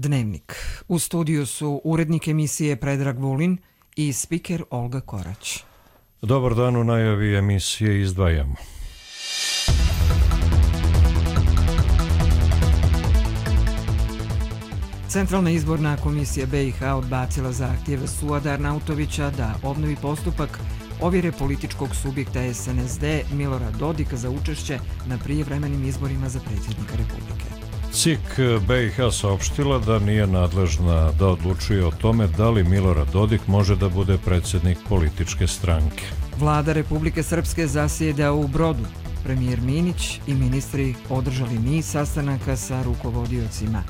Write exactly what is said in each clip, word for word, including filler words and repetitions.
Dnevnik. U studiju su urednik emisije Predrag Vulin i spiker Olga Korać. Dobar dan, u najavi emisije izdvajamo. Centralna izborna komisija B i H odbacila zahtjev Suada Arnautovića da obnovi postupak ovjere političkog subjekta S N S D Milorad Dodik za učešće na prijevremenim izborima za predsjednika Republike. C I K B i H saopštila da nije nadležna da odlučuje o tome da li Milorad Dodik može da bude predsjednik političke stranke. Vlada Republike Srpske zasjeda u Brodu. Premijer Minić i ministri održali niz sastanaka sa rukovodiocima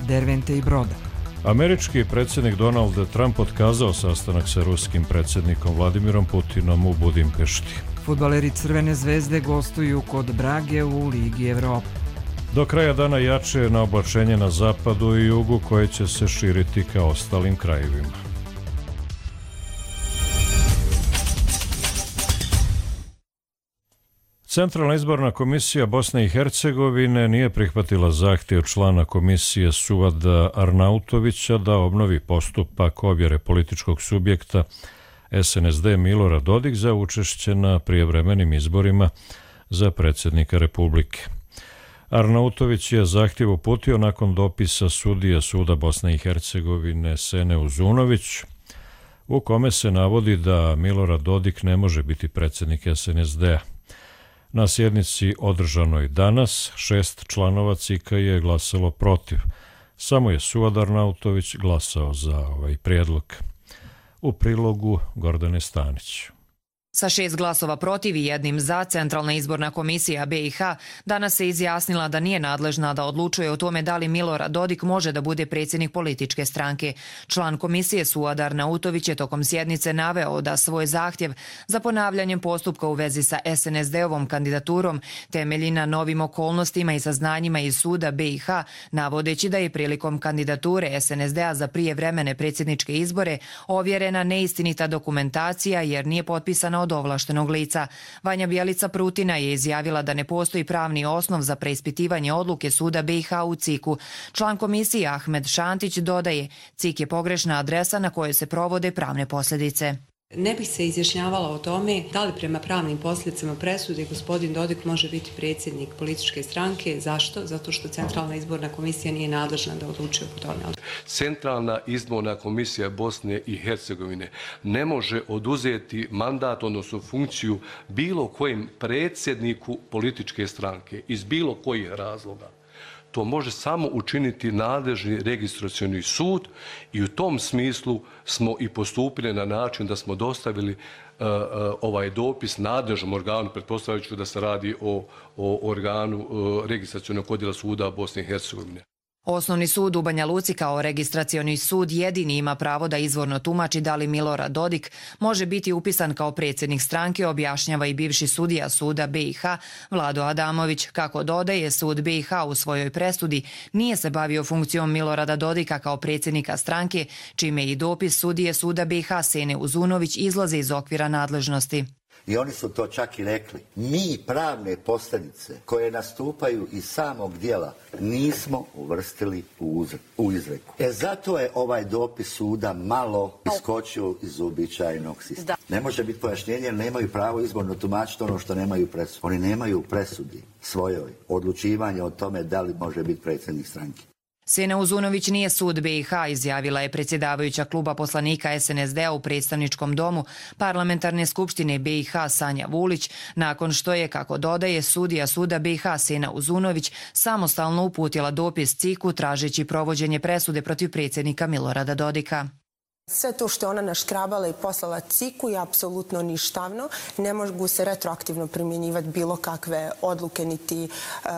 Dervente i Broda. Američki predsjednik Donald Trump otkazao sastanak sa ruskim predsjednikom Vladimirom Putinom u Budimpešti. Fudbaleri Crvene zvezde gostuju kod Brage u Ligi Evrope. Do kraja dana jače na oblačenje na zapadu i jugu koje će se širiti ka ostalim krajevima. Centralna izborna komisija Bosne i Hercegovine nije prihvatila zahtjev člana komisije Suada Arnautovića da obnovi postupak ovjere političkog subjekta S N S D Milorad Dodik za učešće na prijevremenim izborima za predsjednika Republike. Arnautović je zahtjev uputio nakon dopisa sudije Suda Bosne i Hercegovine Sene Uzunović, u kome se navodi da Milorad Dodik ne može biti predsjednik S N S D-a. Na sjednici održanoj danas, šest članova C I K-a je glasalo protiv. Samo je Suad Arnautović glasao za ovaj prijedlog. U prilogu Gordane Stanić. Sa šest glasova protiv i jednim za, Centralna izborna komisija B i H danas se izjasnila da nije nadležna da odlučuje o tome da li Milorad Dodik može da bude predsjednik političke stranke. Član komisije Suad Arnautović je tokom sjednice naveo da svoj zahtjev za ponavljanjem postupka u vezi sa S N S D-ovom kandidaturom temelji na novim okolnostima i saznanjima iz suda B i H, navodeći da je prilikom kandidature S N S D-a za prijevremene predsjedničke izbore ovjerena neistinita dokumentacija jer nije potpisana od ovlaštenog lica. Vanja Bjelica Prutina je izjavila da ne postoji pravni osnov za preispitivanje odluke suda B i H u C I K-u. Član komisije Ahmed Šantić dodaje, C I K je pogrešna adresa na kojoj se provode pravne posljedice. Ne bih se izjašnjavala o tome da li prema pravnim posljedicama presude gospodin Dodik može biti predsjednik političke stranke. Zašto? Zato što Centralna izborna komisija nije nadležna da odlučuje o tome. Centralna izborna komisija Bosne i Hercegovine ne može oduzeti mandat, odnosno funkciju bilo kojem predsjedniku političke stranke iz bilo kojih razloga. To može samo učiniti nadležni registracioni sud i u tom smislu smo i postupili na način da smo dostavili uh, uh, ovaj dopis nadležnom organu, pretpostavljajući da se radi o, o organu uh, registracionog odjela suda Bosne i Hercegovine. Osnovni sud u Banja Luci kao registracioni sud jedini ima pravo da izvorno tumači da li Milorad Dodik može biti upisan kao predsjednik stranke, objašnjava i bivši sudija suda B i H Vlado Adamović. Kako dodaje, sud B i H u svojoj presudi nije se bavio funkcijom Milorada Dodika kao predsjednika stranke, čime i dopis sudije suda B i H Sene Uzunović izlaze iz okvira nadležnosti. I oni su to čak i rekli. Mi pravne posljedice koje nastupaju iz samog dijela nismo uvrstili u, u izreku. E zato je ovaj dopis suda malo iskočio iz uobičajenog sistema. Ne može biti pojašnjenje jer nemaju pravo izborno tumačiti ono što nemaju presudi. Oni nemaju presudi svojoj odlučivanje o tome da li može biti predsjednik stranke. Sena Uzunović nije sud B i H, izjavila je predsjedavajuća kluba poslanika S N S D-a u predstavničkom domu Parlamentarne skupštine B i H Sanja Vulić, nakon što je, kako dodaje, sudija suda B i H Sena Uzunović samostalno uputila dopis C I K-u tražeći provođenje presude protiv predsjednika Milorada Dodika. Sve to što je ona naškrabala i poslala C I K-u je apsolutno ništavno. Ne mogu se retroaktivno primjenjivati bilo kakve odluke, niti, uh,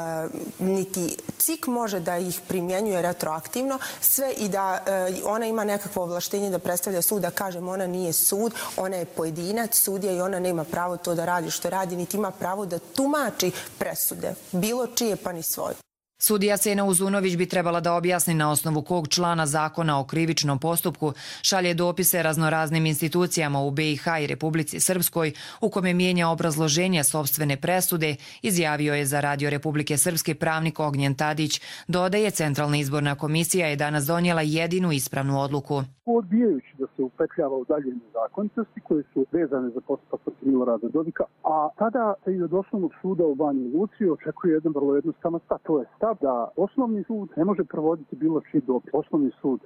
niti C I K može da ih primjenjuje retroaktivno. Sve i da uh, ona ima nekakvo ovlaštenje da predstavlja sud, da kažem ona nije sud, ona je pojedinac, sudija i ona nema pravo to da radi što radi, niti ima pravo da tumači presude, bilo čije pa ni svoje. Sudija Sena Uzunović bi trebala da objasni na osnovu kog člana zakona o krivičnom postupku šalje dopise raznoraznim institucijama u B i H i Republici Srpskoj u kome mijenja obrazloženje sopstvene presude, izjavio je za Radio Republike Srpske pravnik Ognjen Tadić. Dodaje, Centralna izborna komisija je danas donijela jedinu ispravnu odluku. Odbijajući da se upetljava u dalje nezakonitosti koje su vezane za postupak protiv Milorada Dodika, a tada se i od Osnovnog suda u Banji Luci očekuje jedan vrlo jednostavan stav. To je stav da Osnovni sud ne može provoditi bilo čiji dopis. Osnovni sud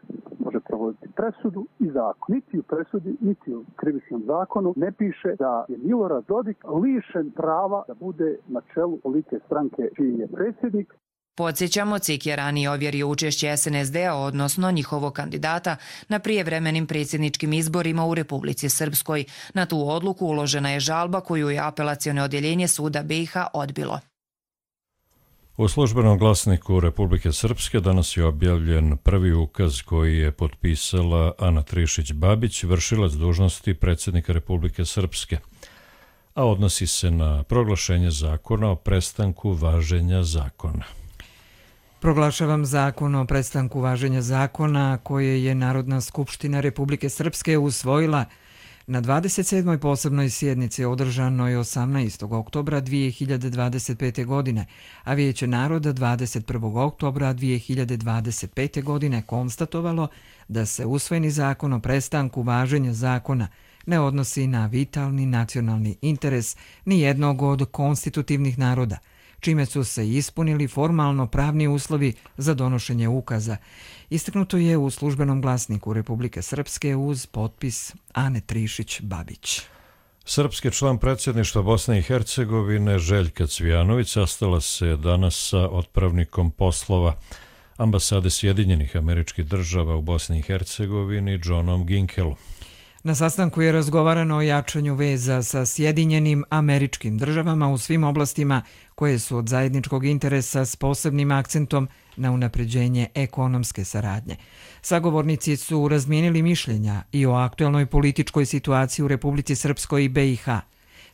može provoditi presudu i zakon. Niti u presudi, niti u krivičnom zakonu ne piše da je Milorad Dodik lišen prava da bude na čelu političke stranke čiji je predsjednik. Podsjećamo, C I K je ranije ovjerio učešće S N S D-a, odnosno njihovog kandidata, na prijevremenim predsjedničkim izborima u Republici Srpskoj. Na tu odluku uložena je žalba koju je apelaciono odjeljenje suda B i H odbilo. U službenom glasniku Republike Srpske danas je objavljen prvi ukaz koji je potpisala Ana Trišić-Babić, vršilac dužnosti predsjednika Republike Srpske, a odnosi se na proglašenje zakona o prestanku važenja zakona. Proglašavam zakon o prestanku važenja zakona koje je Narodna skupština Republike Srpske usvojila na dvadeset sedmoj posebnoj sjednici održanoj osamnaestog oktobra dvije hiljade dvadeset pete. godine, a Vijeće naroda dvadeset prvog oktobra dvije hiljade dvadeset pete. godine konstatovalo da se usvojeni zakon o prestanku važenja zakona ne odnosi na vitalni nacionalni interes ni jednog od konstitutivnih naroda, čime su se ispunili formalno pravni uslovi za donošenje ukaza. Istaknuto je u službenom glasniku Republike Srpske uz potpis Ane Trišić-Babić. Srpski član predsjedništva Bosne i Hercegovine Željka Cvijanović sastala se danas sa otpravnikom poslova ambasade Sjedinjenih Američkih Država u Bosni i Hercegovini Johnom Ginkelom. Na sastanku je razgovarano o jačanju veza sa Sjedinjenim Američkim Državama u svim oblastima koje su od zajedničkog interesa s posebnim akcentom na unapređenje ekonomske saradnje. Sagovornici su razmijenili mišljenja i o aktuelnoj političkoj situaciji u Republici Srpskoj i B i H.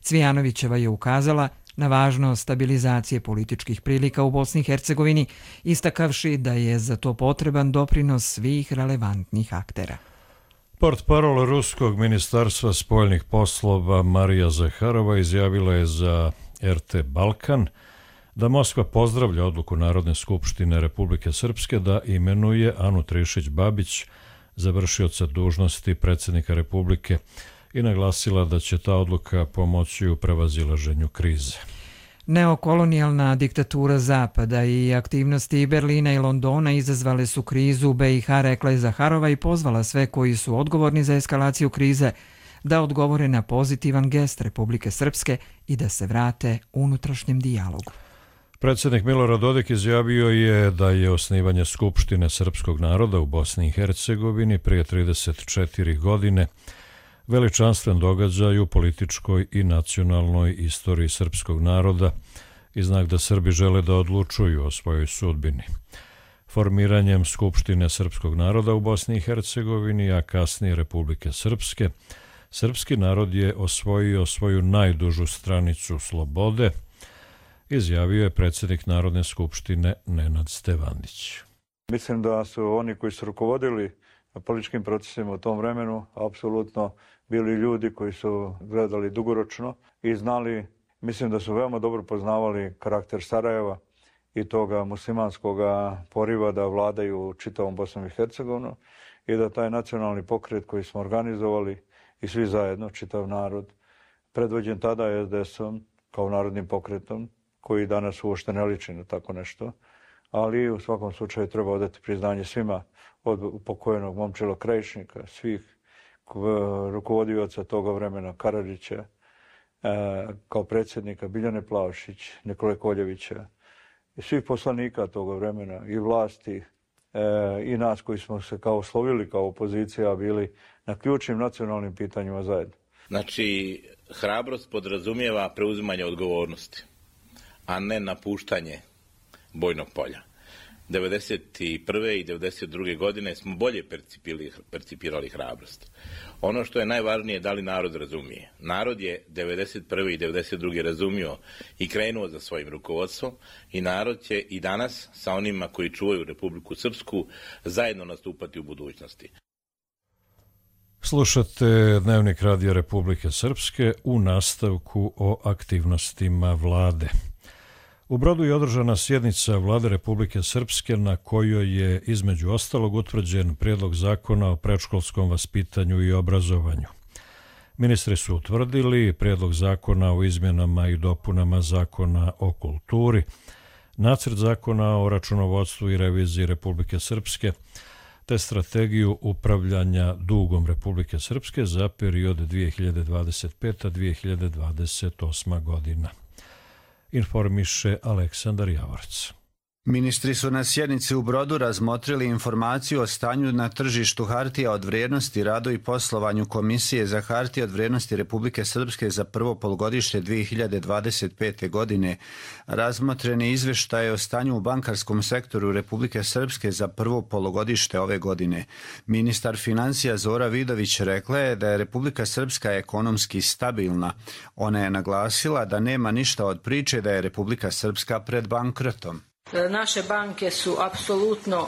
Cvijanovićeva je ukazala na važnost stabilizacije političkih prilika u Bosni i Hercegovini, istakavši da je za to potreban doprinos svih relevantnih aktera. Portparol Ruskog ministarstva spoljnih poslova Marija Zaharova izjavila je za R T Balkan da Moskva pozdravlja odluku Narodne skupštine Republike Srpske da imenuje Anu Trišić-Babić za vršioca dužnosti predsjednika Republike i naglasila da će ta odluka pomoći u prevazilaženju krize. Neokolonijalna diktatura Zapada i aktivnosti Berlina i Londona izazvale su krizu u B i H, rekla je Zaharova i pozvala sve koji su odgovorni za eskalaciju krize da odgovore na pozitivan gest Republike Srpske i da se vrate unutrašnjem dijalogu. Predsjednik Milorad Dodik izjavio je da je osnivanje Skupštine srpskog naroda u Bosni i Hercegovini prije trideset četiri godine veličanstven događaj u političkoj i nacionalnoj istoriji srpskog naroda i znak da Srbi žele da odlučuju o svojoj sudbini. Formiranjem Skupštine srpskog naroda u Bosni i Hercegovini, a kasnije Republike Srpske, srpski narod je osvojio svoju najdužu stranicu slobode, izjavio je predsjednik Narodne skupštine Nenad Stevandić. Mislim da su oni koji su rukovodili političkim procesima u tom vremenu apsolutno bili ljudi koji su gledali dugoročno i znali, mislim da su veoma dobro poznavali karakter Sarajeva i toga muslimanskog poriva da vladaju čitavom Bosnom i Hercegovinom i da taj nacionalni pokret koji smo organizovali i svi zajedno, čitav narod, predvođen tada S D S-om kao narodnim pokretom, koji danas uopšte ne liči na tako nešto, ali u svakom slučaju treba odati priznanje svima, od pokojnog Momčila Krajišnika, svih rukovodioca toga vremena, Karadžića, e, kao predsjednika Biljane Plavšić, Nikole Koljevića i svih poslanika toga vremena i vlasti e, i nas koji smo se kao slovili kao opozicija bili na ključnim nacionalnim pitanjima zajedno. Znači, hrabrost podrazumijeva preuzimanje odgovornosti, a ne napuštanje bojnog polja. devedeset prve i devedeset druge godine smo bolje percipirali hrabrost. Ono što je najvažnije, da li narod razumije. Narod je devedeset prve i devedeset druge razumio i krenuo za svojim rukovodstvom i narod će i danas sa onima koji čuvaju Republiku Srpsku zajedno nastupati u budućnosti. Slušate Dnevnik Radija Republike Srpske u nastavku o aktivnostima vlade. U Brodu je održana sjednica Vlade Republike Srpske na kojoj je između ostalog utvrđen prijedlog zakona o predškolskom vaspitanju i obrazovanju. Ministri su utvrdili prijedlog zakona o izmjenama i dopunama zakona o kulturi, nacrt zakona o računovodstvu i reviziji Republike Srpske, te strategiju upravljanja dugom Republike Srpske za period dvije hiljade dvadeset peta do dvije hiljade dvadeset osma godina. Informiše Aleksandar Javorec. Ministri su na sjednici u Brodu razmotrili informaciju o stanju na tržištu hartija od vrijednosti, radu i poslovanju Komisije za hartije od vrijednosti Republike Srpske za prvo polugodište dvije hiljade dvadeset pete. godine. Razmotreni izvještaj o stanju u bankarskom sektoru Republike Srpske za prvo polugodište ove godine. Ministar financija Zora Vidović rekla je da je Republika Srpska ekonomski stabilna. Ona je naglasila da nema ništa od priče da je Republika Srpska pred bankrotom. Naše banke su apsolutno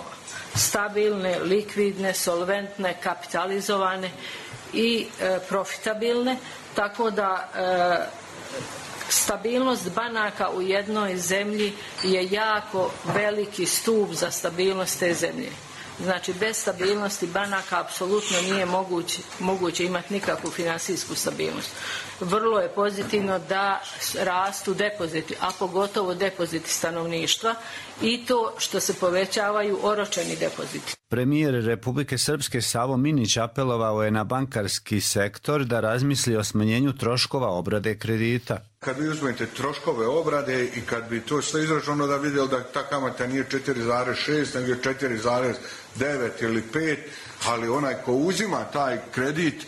stabilne, likvidne, solventne, kapitalizovane i e, profitabilne, tako da e, stabilnost banaka u jednoj zemlji je jako veliki stup za stabilnost te zemlje. Znači, bez stabilnosti banaka apsolutno nije moguće, moguće imati nikakvu finansijsku stabilnost. Vrlo je pozitivno da rastu depoziti, a pogotovo depoziti stanovništva i to što se povećavaju oročeni depoziti. Premijer Republike Srpske Savo Minić apelovao je na bankarski sektor da razmisli o smanjenju troškova obrade kredita. Kad vi uzmete troškove obrade i kad bi to sve izračunalo da vidjeli da ta kamata nije četiri zarez šest nego je četiri zarez devet ili pet, ali onaj ko uzima taj kredit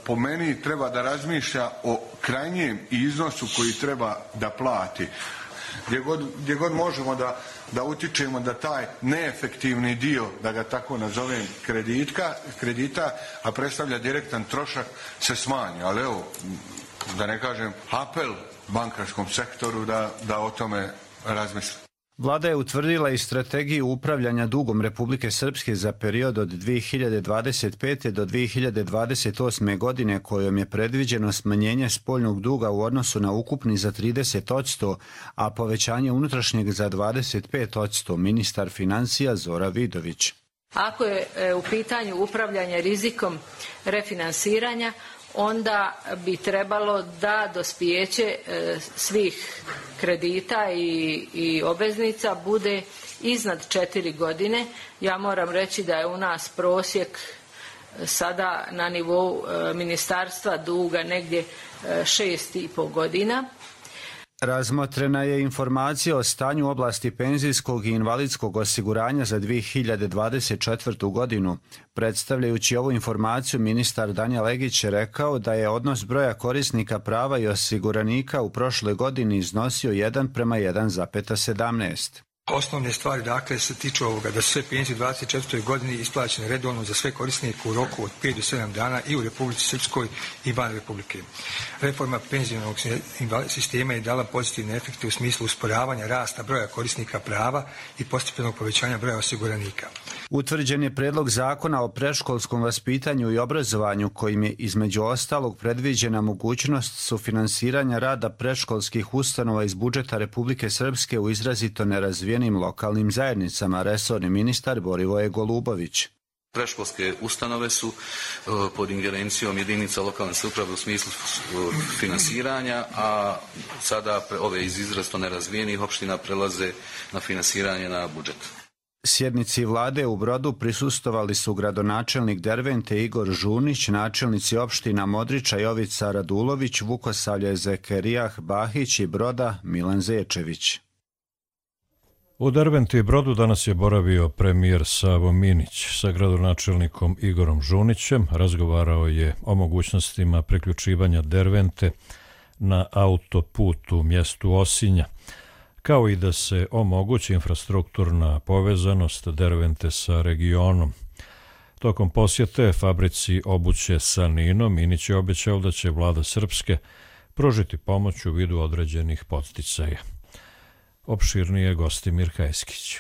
po meni treba da razmišlja o krajnjem iznosu koji treba da plati. Gdje god, gdje god možemo da, da utičemo da taj neefektivni dio, da ga tako nazovem, kreditka, kredita, a predstavlja direktan trošak, se smanji. Ali evo, da ne kažem, apel bankarskom sektoru da, da o tome razmisli. Vlada je utvrdila i strategiju upravljanja dugom Republike Srpske za period od dvije hiljade dvadeset pete. do dvije hiljade dvadeset osme. godine, kojom je predviđeno smanjenje spoljnog duga u odnosu na ukupni za trideset posto, a povećanje unutrašnjeg za dvadeset pet posto, ministar financija Zora Vidović. Ako je u pitanju upravljanje rizikom refinansiranja, onda bi trebalo da dospijeće svih kredita i, i obveznica bude iznad četiri godine. Ja moram reći da je u nas prosjek sada na nivou ministarstva duga negdje šest i pol godina. Razmotrena je informacija o stanju u oblasti penzijskog i invalidskog osiguranja za dvije hiljade dvadeset četvrtu. godinu. Predstavljajući ovu informaciju, ministar Danijel Legić je rekao da je odnos broja korisnika prava i osiguranika u prošloj godini iznosio jedan prema jedan zarez sedamnaest. Osnovne stvari dakle se tiču ovoga da su sve penzije u dvadeset četvrtoj. godini isplaćene redovno za sve korisnike u roku od pet do sedam dana i u Republici Srpskoj i van Republike. Reforma penzionog sistema je dala pozitivne efekte u smislu usporavanja rasta broja korisnika prava i postepenog povećanja broja osiguranika. Utvrđen je predlog zakona o predškolskom vaspitanju i obrazovanju kojim je između ostalog predviđena mogućnost sufinansiranja rada predškolskih ustanova iz budžeta Republike Srpske u izrazito nerazvijenim lokalnim zajednicama, resorni ministar Borivoje Golubović. Predškolske ustanove su pod ingerencijom jedinica lokalne samouprave u smislu finansiranja, a sada ove iz izrazito nerazvijenih opština prelaze na finansiranje na budžet. Sjednici vlade u Brodu prisustvovali su gradonačelnik Dervente Igor Žunić, načelnici opština Modriča Jovica Radulović, Vukosavlje Zekerijah Bahić i Broda Milan Zečević. U Derventi i Brodu danas je boravio premijer Savo Minić sa gradonačelnikom Igorom Žunićem. Razgovarao je o mogućnostima priključivanja Dervente na autoput u mjestu Osinja. kao i da se omogući infrastrukturna povezanost Dervente sa regionom. Tokom posjete fabrici obuće Sanino, Minić je obećao da će vlada Srpske pružiti pomoć u vidu određenih podsticaja. Opširnije Gostimir Kajskić.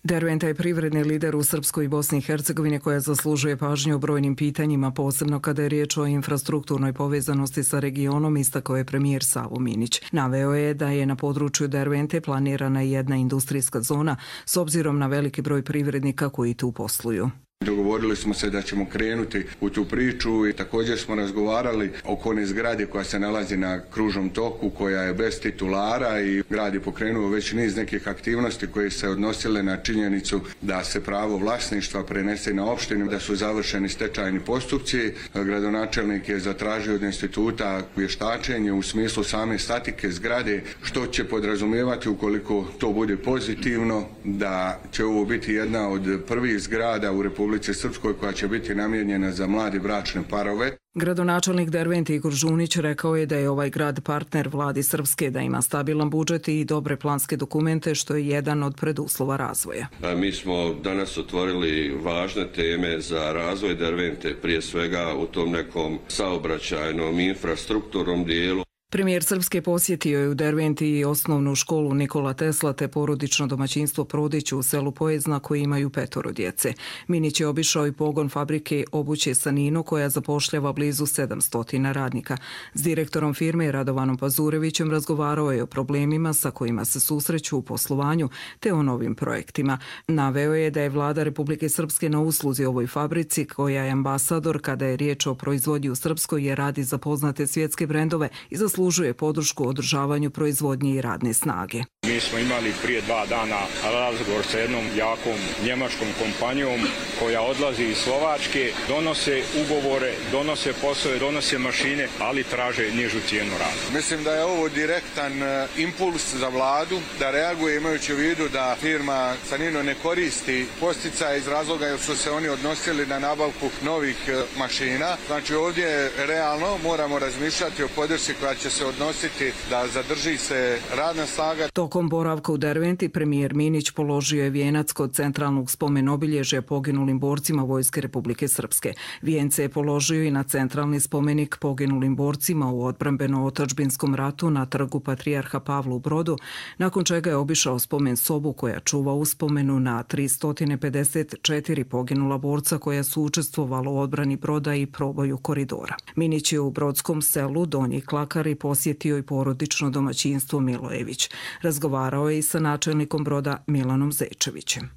Derventa je privredni lider u Srpskoj i Bosni i Hercegovini koja zaslužuje pažnju o brojnim pitanjima, posebno kada je riječ o infrastrukturnoj povezanosti sa regionom, istakao je premijer Savo Minić. Naveo je da je na području Dervente planirana jedna industrijska zona s obzirom na veliki broj privrednika koji tu posluju. Dogovorili smo se da ćemo krenuti u tu priču i također smo razgovarali oko one zgrade koja se nalazi na kružnom toku, koja je bez titulara i grad je pokrenuo već niz nekih aktivnosti koje se odnosile na činjenicu da se pravo vlasništva prenese na opštinu, da su završeni stečajni postupci. Gradonačelnik je zatražio od instituta vještačenje u smislu same statike zgrade, što će podrazumijevati ukoliko to bude pozitivno, da će ovo biti jedna od prvih zgrada u Republike Srpskoj koja će biti namijenjena za mlade bračne parove. Gradonačelnik Dervente Igor Žunić rekao je da je ovaj grad partner vladi Srpske, da ima stabilan budžet i dobre planske dokumente, što je jedan od preduslova razvoja. A mi smo danas otvorili važne teme za razvoj Dervente, prije svega u tom nekom saobraćajnom infrastrukturnom dijelu. Premijer Srpske posjetio je u Derventi i osnovnu školu Nikola Tesla te porodično domaćinstvo Prodić u selu Pojezna koji imaju petoro djece. Minić je obišao i pogon fabrike obuće Sanino koja zapošljava blizu sedamsto radnika. S direktorom firme Radovanom Pazurevićem razgovarao je o problemima sa kojima se susreću u poslovanju te o novim projektima. Naveo je da je vlada Republike Srpske na usluzi ovoj fabrici koja je ambasador kada je riječ o proizvodnji u Srpskoj jer radi za poznate svjetske brendove i za zaslužuje podršku u održavanju proizvodnje i radne snage. Mi smo imali prije dva dana razgovor sa jednom jakom njemačkom kompanijom koja odlazi iz Slovačke, donose ugovore, donose poslove, donose mašine, ali traže nižu cijenu rada. Mislim da je ovo direktan impuls za vladu da reaguje imajući u vidu da firma Sanino ne koristi posticaje iz razloga jer su se oni odnosili na nabavku novih mašina. Znači ovdje realno moramo razmišljati o podršci koja će se odnositi da zadrži se radna snaga. Tokom boravka u Derventi premijer Minić položio je vijenac kod centralnog spomen obilježja poginulim borcima Vojske Republike Srpske. Vijence je položio i na centralni spomenik poginulim borcima u odbrambeno-otadžbinskom ratu na trgu Patrijarha Pavla u Brodu, nakon čega je obišao spomen sobu koja čuva uspomenu na tristo pedeset četiri poginula borca koja su učestvovala u odbrani Broda i proboju koridora. Minić je u brodskom selu Donji Klakari posjetio i porodično domaćinstvo Milojević. Razgovarao je i sa načelnikom Broda Milanom Zečevićem.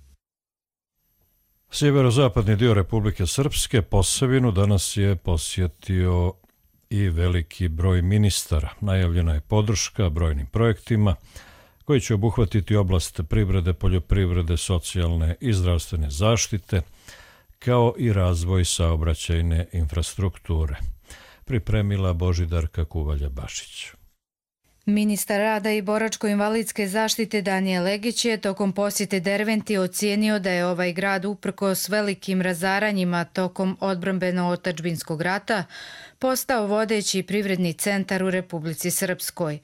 Sjeverozapadni dio Republike Srpske, Posavinu, danas je posjetio i veliki broj ministara. Najavljena je podrška brojnim projektima koji će obuhvatiti oblast privrede, poljoprivrede, socijalne i zdravstvene zaštite, kao i razvoj saobraćajne infrastrukture. Pripremila Božidarka Kuvalja-Bašić. Ministar rada i boračko-invalidske zaštite Danijel Legić je tokom posjete Derventi ocijenio da je ovaj grad uprkos velikim razaranjima tokom odbrambeno-otadžbinskog rata postao vodeći privredni centar u Republici Srpskoj.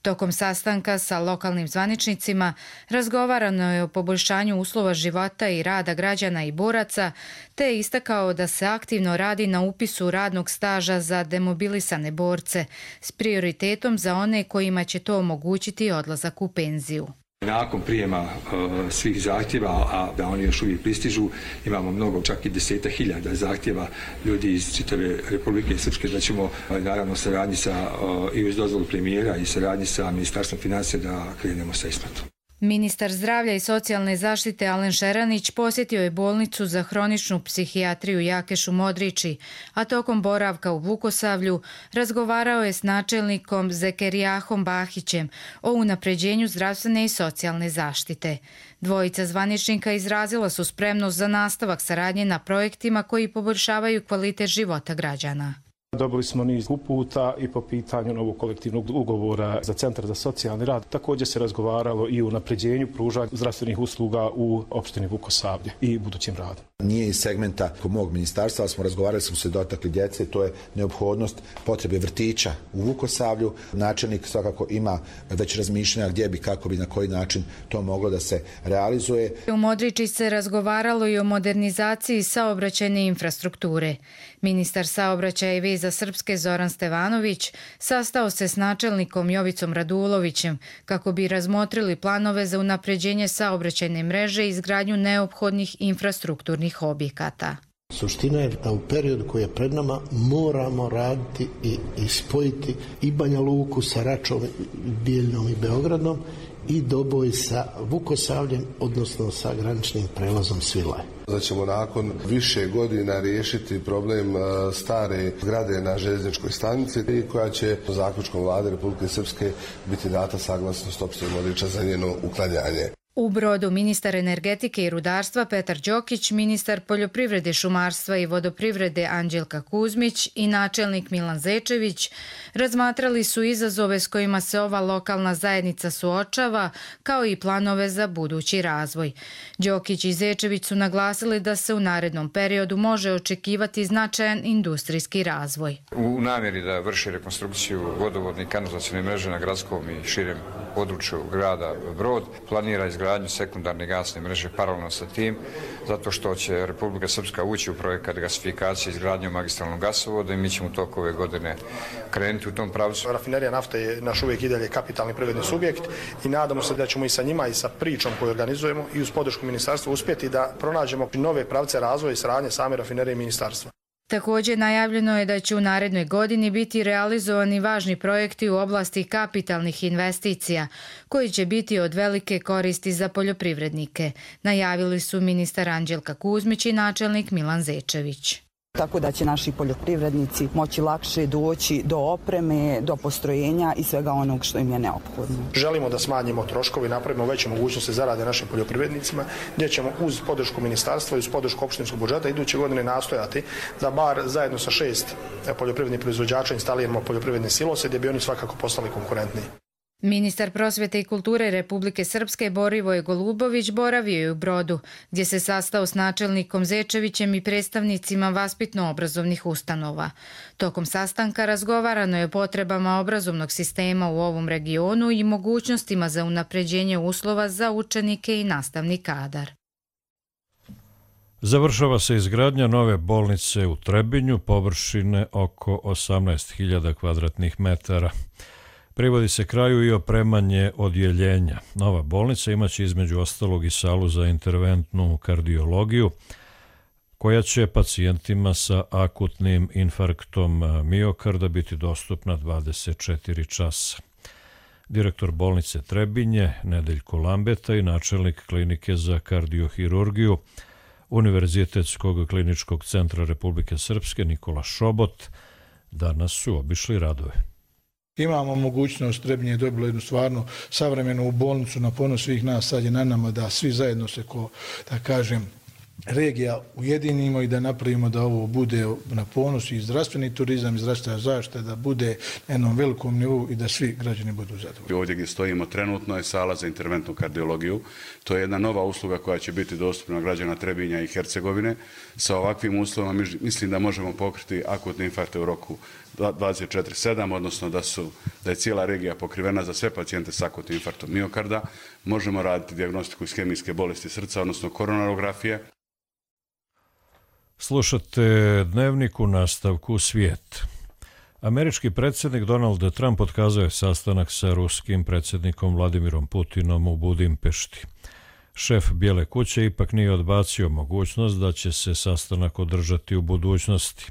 Tokom sastanka sa lokalnim zvaničnicima razgovarano je o poboljšanju uslova života i rada građana i boraca, te je istakao da se aktivno radi na upisu radnog staža za demobilisane borce, s prioritetom za one kojima će to omogućiti odlazak u penziju. Nakon prijema uh, svih zahtjeva, a da oni još uvijek pristižu, imamo mnogo, čak i deseta hiljada zahtjeva ljudi iz čitave Republike Srpske, da ćemo uh, naravno saradnji sa, uh, i uz dozvolu premijera i saradnji sa Ministarstvom financija da krenemo sa isplatom. Ministar zdravlja i socijalne zaštite Alen Šeranić posjetio je bolnicu za hroničnu psihijatriju Jakešu Modrići, a tokom boravka u Vukosavlju razgovarao je s načelnikom Zekerijahom Bahićem o unapređenju zdravstvene i socijalne zaštite. Dvojica zvaničnika izrazila su spremnost za nastavak saradnje na projektima koji poboljšavaju kvalitet života građana. Dobili smo niz uputa i po pitanju novog kolektivnog ugovora za Centar za socijalni rad. Također se razgovaralo i o unapređenju pružanja zdravstvenih usluga u opštini Vukosavlje i budućim radom. Nije iz segmenta mog ministarstva, ali smo razgovarali, smo se dotakli djece, to je neophodnost potrebe vrtića u Vukosavlju. Načelnik svakako ima već razmišljanja gdje bi, kako bi, na koji način to moglo da se realizuje. U Modriči se razgovaralo i o modernizaciji saobraćajne infrastrukture. Ministar saobraćaja i veza Srpske Zoran Stevanović sastao se s načelnikom Jovicom Radulovićem kako bi razmotrili planove za unapređenje saobraćajne mreže i izgradnju neophodnih infrastrukturnih objekata. Suština je da u periodu koji je pred nama moramo raditi i, i spojiti i Banja Luku sa Račom, Bijeljnom i Beogradom i Doboj sa Vukosavljem, odnosno sa graničnim prelazom Svilaj. Da ćemo nakon više godina riješiti problem stare zgrade na željezničkoj stanici i koja će zaključkom Vlade Republike Srpske biti data saglasnost opštine Modriča za njeno uklanjanje. U Brodu ministar energetike i rudarstva Petar Đokić, ministar poljoprivrede, šumarstva i vodoprivrede Anđelka Kuzmić i načelnik Milan Zečević razmatrali su izazove s kojima se ova lokalna zajednica suočava, kao i planove za budući razvoj. Đokić i Zečević su naglasili da se u narednom periodu može očekivati značajan industrijski razvoj. U namjeri da vrši rekonstrukciju vodovodne i kanalizacione mreže na gradskom i širem području grada Brod, planira izgradnju sekundarne gasne mreže paralelno sa tim, zato što će Republika Srpska ući u projekat gasifikacije izgradnjom magistralnog gasovoda i mi ćemo tokom ove godine krenuti u tom pravcu. Rafinerija nafte je naš uvijek i dalje kapitalni privredni subjekt i nadamo se da ćemo i sa njima i sa pričom koju organizujemo i uz podršku ministarstva uspjeti da pronađemo nove pravce razvoja i saradnje same rafinerije i ministarstva. Također najavljeno je da će u narednoj godini biti realizovani važni projekti u oblasti kapitalnih investicija, koji će biti od velike koristi za poljoprivrednike, najavili su ministar Anđelka Kuzmić i načelnik Milan Zečević. Tako da će naši poljoprivrednici moći lakše doći do opreme, do postrojenja i svega onog što im je neophodno. Želimo da smanjimo troškove i napravimo veće mogućnosti zarade našim poljoprivrednicima, gdje ćemo uz podršku ministarstva i uz podršku opštinskog budžeta iduće godine nastojati da bar zajedno sa šest poljoprivrednih proizvođača instaliramo poljoprivredne silose gdje bi oni svakako postali konkurentniji. Ministar prosvjete i kulture Republike Srpske Borivoj Golubović boravio je u Brodu, gdje se sastao s načelnikom Zečevićem i predstavnicima vaspitno-obrazovnih ustanova. Tokom sastanka razgovarano je o potrebama obrazovnog sistema u ovom regionu i mogućnostima za unapređenje uslova za učenike i nastavni kadar. Završava se izgradnja nove bolnice u Trebinju, površine oko osamnaest hiljada kvadratnih metara. Privodi se kraju i opremanje odjeljenja. Nova bolnica imaće između ostalog i salu za interventnu kardiologiju, koja će pacijentima sa akutnim infarktom miokarda biti dostupna dvadeset četiri časa. Direktor bolnice Trebinje Nedeljko Lambeta i načelnik klinike za kardiohirurgiju Univerzitetskog kliničkog centra Republike Srpske Nikola Šobot danas su obišli radove. Imamo mogućnost, Trebinje je dobilo jednu stvarno savremenu bolnicu na ponos svih nas, sad je na nama da svi zajedno se, ko, da kažem, regija ujedinimo i da napravimo da ovo bude na ponos i zdravstveni turizam i zdravstvena zaštita, da bude na jednom velikom nivou i da svi građani budu zadovoljni. Ovdje gdje stojimo trenutno je sala za interventnu kardiologiju. To je jedna nova usluga koja će biti dostupna građana Trebinja i Hercegovine. Sa ovakvim uslovima mislim da možemo pokriti akutne infarkte u roku dvadeset četiri sedam, odnosno da, su, da je cijela regija pokrivena za sve pacijente s akutnim infarktom miokarda. Možemo raditi dijagnostiku ishemijske bolesti srca, odnosno koronarografije. Slušate Dnevnik u nastavku Svijet. Američki predsjednik Donald Trump otkazao je sastanak sa ruskim predsjednikom Vladimirom Putinom u Budimpešti. Šef Bijele kuće ipak nije odbacio mogućnost da će se sastanak održati u budućnosti.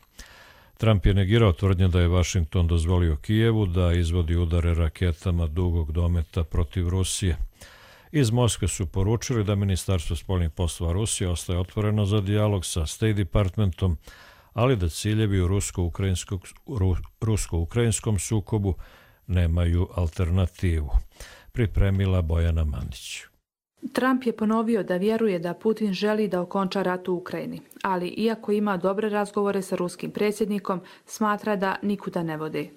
Trump je negirao tvrdnje da je Vašington dozvolio Kijevu da izvodi udare raketama dugog dometa protiv Rusije. Iz Moskve su poručili da Ministarstvo spoljnih poslova Rusije ostaje otvoreno za dijalog sa State Departmentom, ali da ciljevi u rusko-ukrajinskom sukobu nemaju alternativu. Pripremila Bojana Mandić. Trump je ponovio da vjeruje da Putin želi da okonča rat u Ukrajini, ali iako ima dobre razgovore sa ruskim predsjednikom, smatra da nikuda ne vode.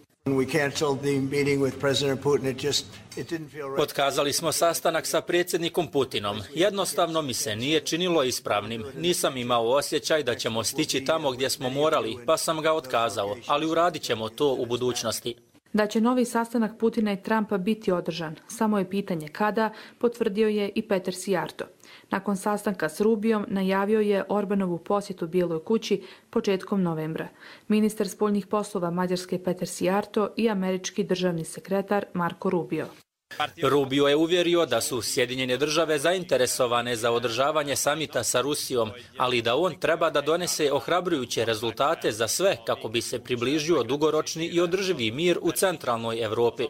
Otkazali smo sastanak sa predsjednikom Putinom. Jednostavno mi se nije činilo ispravnim. Nisam imao osjećaj da ćemo stići tamo gdje smo morali, pa sam ga otkazao, ali uradit ćemo to u budućnosti. Da će novi sastanak Putina i Trumpa biti održan, samo je pitanje kada, potvrdio je i Peter Sijarto. Nakon sastanka s Rubijom najavio je Orbanovu posjetu Bijeloj kući početkom novembra. Ministar spoljnih poslova Mađarske Peter Sijarto i američki državni sekretar Marco Rubio. Rubio je uvjerio da su Sjedinjene države zainteresovane za održavanje samita sa Rusijom, ali da on treba da donese ohrabrujuće rezultate za sve kako bi se približio dugoročni i održivi mir u centralnoj Evropi.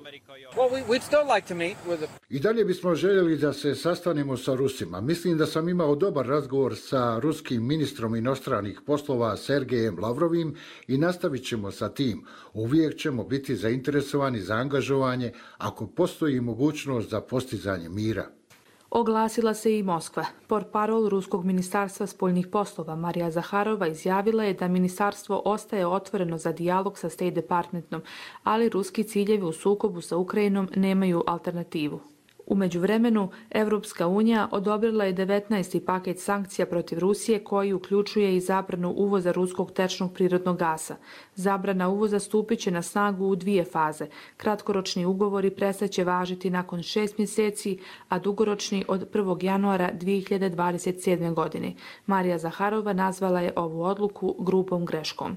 I dalje bismo željeli da se sastanemo sa Rusima. Mislim da sam imao dobar razgovor sa ruskim ministrom inostranih poslova Sergejem Lavrovim i nastavit ćemo sa tim. Uvijek ćemo biti zainteresovani za angažovanje ako postoji mogućnost za postizanje mira. Oglasila se i Moskva. Portparol Ruskog ministarstva spoljnih poslova Marija Zaharova izjavila je da ministarstvo ostaje otvoreno za dijalog sa State Departmentom, ali ruski ciljevi u sukobu sa Ukrajinom nemaju alternativu. U međuvremenu, Evropska unija odobrila je devetnaesti paket sankcija protiv Rusije koji uključuje i zabranu uvoza ruskog tečnog prirodnog gasa. Zabrana uvoza stupit će na snagu u dvije faze. Kratkoročni ugovori prestaće važiti nakon šest mjeseci, a dugoročni od prvog januara dvije hiljade dvadeset sedme. godine. Marija Zaharova nazvala je ovu odluku grubom greškom.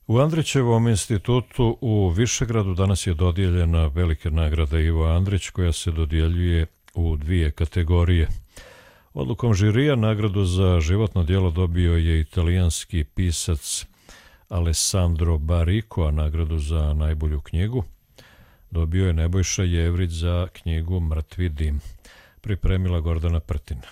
U Andrićevom institutu u Višegradu danas je dodijeljena velika nagrada Ivo Andrić koja se dodjeljuje u dvije kategorije. Odlukom žirija nagradu za životno djelo dobio je italijanski pisac Alessandro Baricco, a nagradu za najbolju knjigu dobio je Nebojša Jevrić za knjigu Mrtvi dim. Pripremila Gordana Prtina.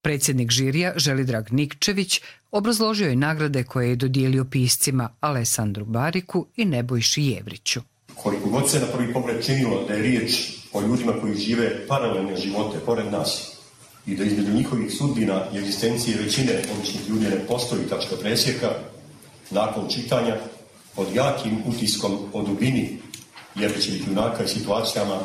Predsjednik žirija Želidrag Nikčević obrazložio je nagrade koje je dodijelio piscima Alessandru Bariku i Nebojši Jevriću. Koliko god se na prvi pogled činilo da je riječ o ljudima koji žive paralelne živote pored nas i da između njihovih sudbina i egzistencije većine običnih ljudi ne postoji tačka presjeka, nakon čitanja pod jakim utiskom o dubini Jevrićevih junaka i situacijama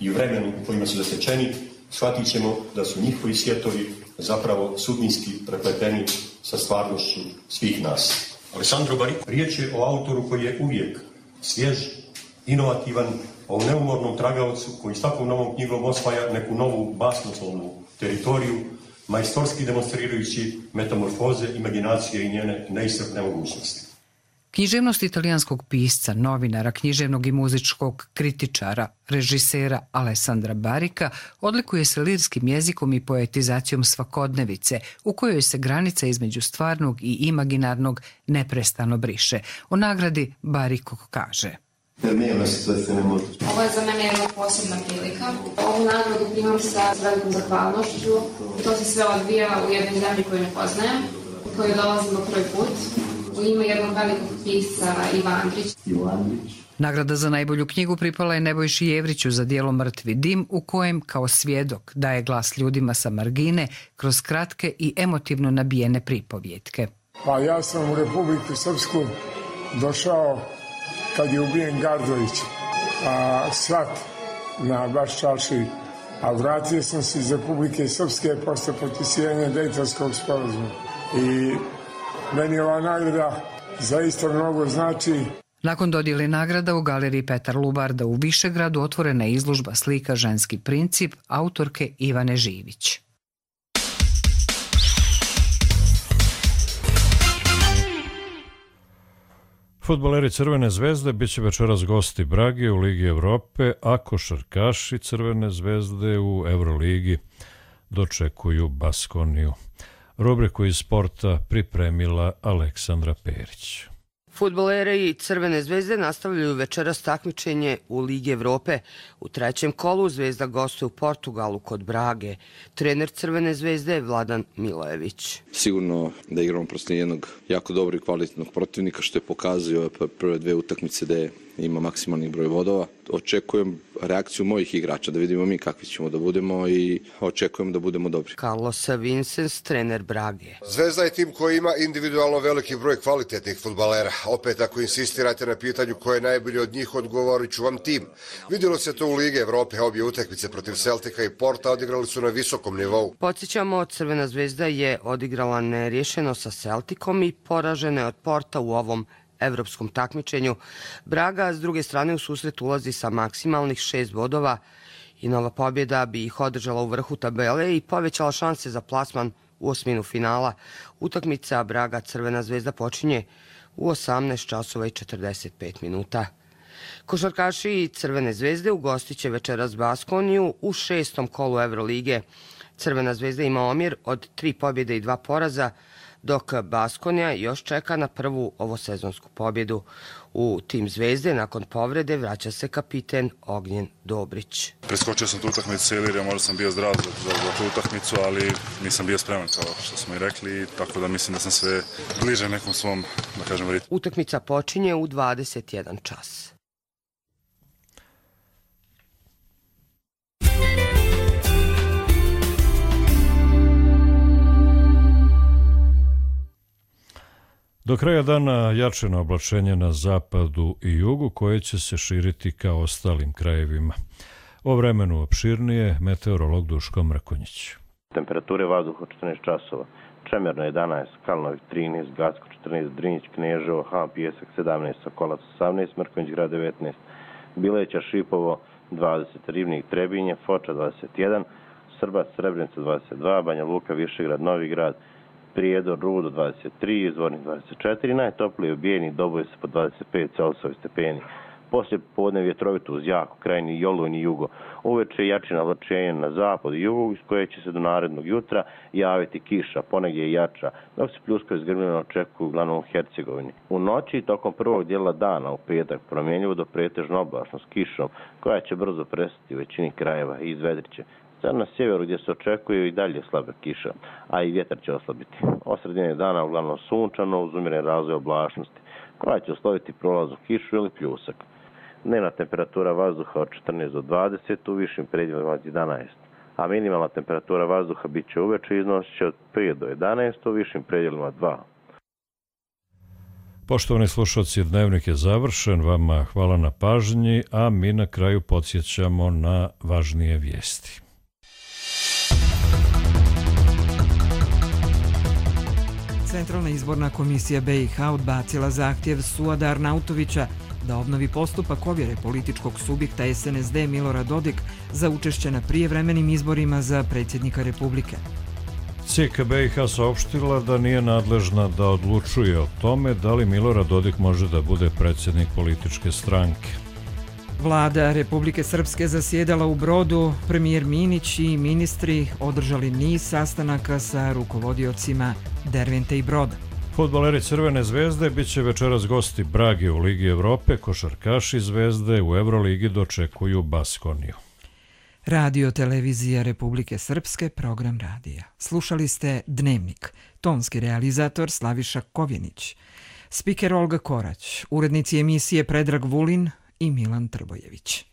i vremenu u kojima su zatečeni, shvatit ćemo da su njihovi svjetovi zapravo sudbinski prepleteni sa stvarnošću svih nas. Alessandro Baricco, riječ je o autoru koji je uvijek svjež, inovativan, o neumornom tragaocu koji s takvom novom knjigom osvaja neku novu basnoslovnu teritoriju, majstorski demonstrirajući metamorfoze imaginacije i njene neiscrpne mogućnosti. Književnost italijanskog pisca, novinara, književnog i muzičkog kritičara, režisera Alessandra Barika odlikuje se lirskim jezikom i poetizacijom svakodnevice, u kojoj se granica između stvarnog i imaginarnog neprestano briše. O nagradi Bariko kaže: Ovo je za mene jedna posebna prilika. Ovu nagradu primam sa velikom zahvalnošću. To se sve odvija u jednoj zemlji koju ne poznajem, u koju dolazimo prvi put. U ime jednog velikog pisca Ivo Andrić. Nagrada za najbolju knjigu pripala je Nebojši Jevriću za djelo Mrtvi dim, u kojem kao svjedok daje glas ljudima sa margine kroz kratke i emotivno nabijene pripovjetke. Pa ja sam u Republiku Srpsku došao kad je ubijen Gardović, a svat na baš čarši, a vratio sam se iz Republike Srpske posle potpisivanja Dejtonskog sporazuma. I meni ova nagrada zaista mnogo znači. Nakon dodjele nagrada u galeriji Petar Lubarda u Višegradu otvorena je izložba slika Ženski princip autorke Ivane Živić. Fudbaleri Crvene zvezde bit će večeras gosti Brage u Ligi Evrope, a košarkaši Crvene zvezde u Euroligi dočekuju Baskoniju. Rubriku iz sporta pripremila Aleksandra Perić. Fudbaleri Crvene zvezde nastavljaju večeras takmičenje u Ligi Evrope. U trećem kolu Zvezda gostuje u Portugalu kod Brage. Trener Crvene zvezde je Vladan Milojević. Sigurno da igramo protiv jednog jako dobrog i kvalitetnog protivnika, što je pokazio prve dve utakmice da je ima maksimalni broj bodova. Očekujem reakciju mojih igrača, da vidimo mi kakvi ćemo da budemo i očekujem da budemo dobri. Carlos Vincens, trener Brage. Zvezda je tim koji ima individualno veliki broj kvalitetnih fudbalera. Opet, ako insistirate na pitanju ko je najbolji od njih, odgovorit ću vam tim. Vidjelo se to u Lige Evrope, obje utakmice protiv Celtica i Porta odigrali su na visokom nivou. Podsjećamo, Crvena zvezda je odigrala nerješeno sa Celticom i poražena je od Porta u ovom evropskom takmičenju. Braga s druge strane u susret ulazi sa maksimalnih šest bodova i nova pobjeda bi ih održala u vrhu tabele i povećala šanse za plasman u osminu finala. Utakmica Braga Crvena zvezda počinje u osamnaest časova i četrdeset pet minuta. Košarkaši Crvene zvezde ugostit će večeras Baskoniju u šestom kolu Evrolige. Crvena zvezda ima omjer od tri pobjede i dva poraza, dok Baskonija još čeka na prvu ovosezonsku pobjedu. U tim Zvezde nakon povrede vraća se kapiten Ognjen Dobrić. Preskočio sam tu utakmicu cijeli, jer možda sam bio zdrav za, za, za tu utakmicu, ali nisam bio spreman kao što smo i rekli, tako da mislim da sam sve bliže nekom svom, da kažem, ritmu. Utakmica počinje u dvadeset jedan čas. Do kraja dana jačeno oblačenje na zapadu i jugu koje će se širiti ka ostalim krajevima. O vremenu opširnije meteorolog Duško Mrkonjić. Temperature vazduha četrnaest časova. Čemerno jedanaest, Kalnović trinaest, Gacko četrnaest, Drinjić, Kneževo, Han Pijesak sedamnaest, Sokolac osamnaest, Mrkonjić grad devetnaest, Bileća, Šipovo dvadeset, Rivnik, Trebinje, Foča dvadeset jedan, Srbac, Srebrenica dvadeset dva, Banja Luka, Višegrad, Novi Grad, Prijedor, Rudo dvadeset tri, Izvornik dvadeset četiri, najtopliji Bijeni, Doboj se po dvadeset pet Celsijevi stepeni. Poslije podne vjetrovito uz jako krajni Jolun i jugo. Uveče jačina oblačenja na zapad i jugu, iz koje će se do narednog jutra javiti kiša, ponegdje i jača, dok se pljuskovi zgrmljeno očekuju uglavnom u Hercegovini. U noći tokom prvog dijela dana u petak promjenjivo do pretežno oblačno s kišom, koja će brzo prestati u većini krajeva i izvedriće. Sad na sjeveru gdje se očekuju i dalje slabe kiša, a i vjetar će oslabiti. Od sredine dana uglavnom sunčano uz umjeren razvoj oblačnosti, koja će usloviti prolaz u kišu ili pljusak. Dnevna temperatura vazduha od četrnaest do dvadeset, u višim predjelima od jedanaest, a minimalna temperatura vazduha bit će uveče iznosit od pet do jedanaest, u višim predjelima dva. Poštovani slušalci, dnevnik je završen, vama hvala na pažnji, a mi na kraju podsjećamo na važnije vijesti. Centralna izborna komisija B i H odbacila zahtjev Suada Arnautovića da obnovi postupak ovjere političkog subjekta S N S D Milorad Dodik za učešće na prijevremenim izborima za predsjednika Republike. C K B i H saopštila da nije nadležna da odlučuje o tome da li Milorad Dodik može da bude predsjednik političke stranke. Vlada Republike Srpske zasjedala u Brodu, premijer Minić i ministri održali niz sastanaka sa rukovodiocima Dervente i Broda. Fudbaleri Crvene zvezde bit će večeras gosti Brage u Ligi Evrope, košarkaši Zvezde u Evroligi dočekuju Baskoniju. Radio Televizija Republike Srpske, program radija. Slušali ste Dnevnik, tonski realizator Slaviša Kovjenić, spiker Olga Korać, urednici emisije Predrag Vulin i Milan Trbojević.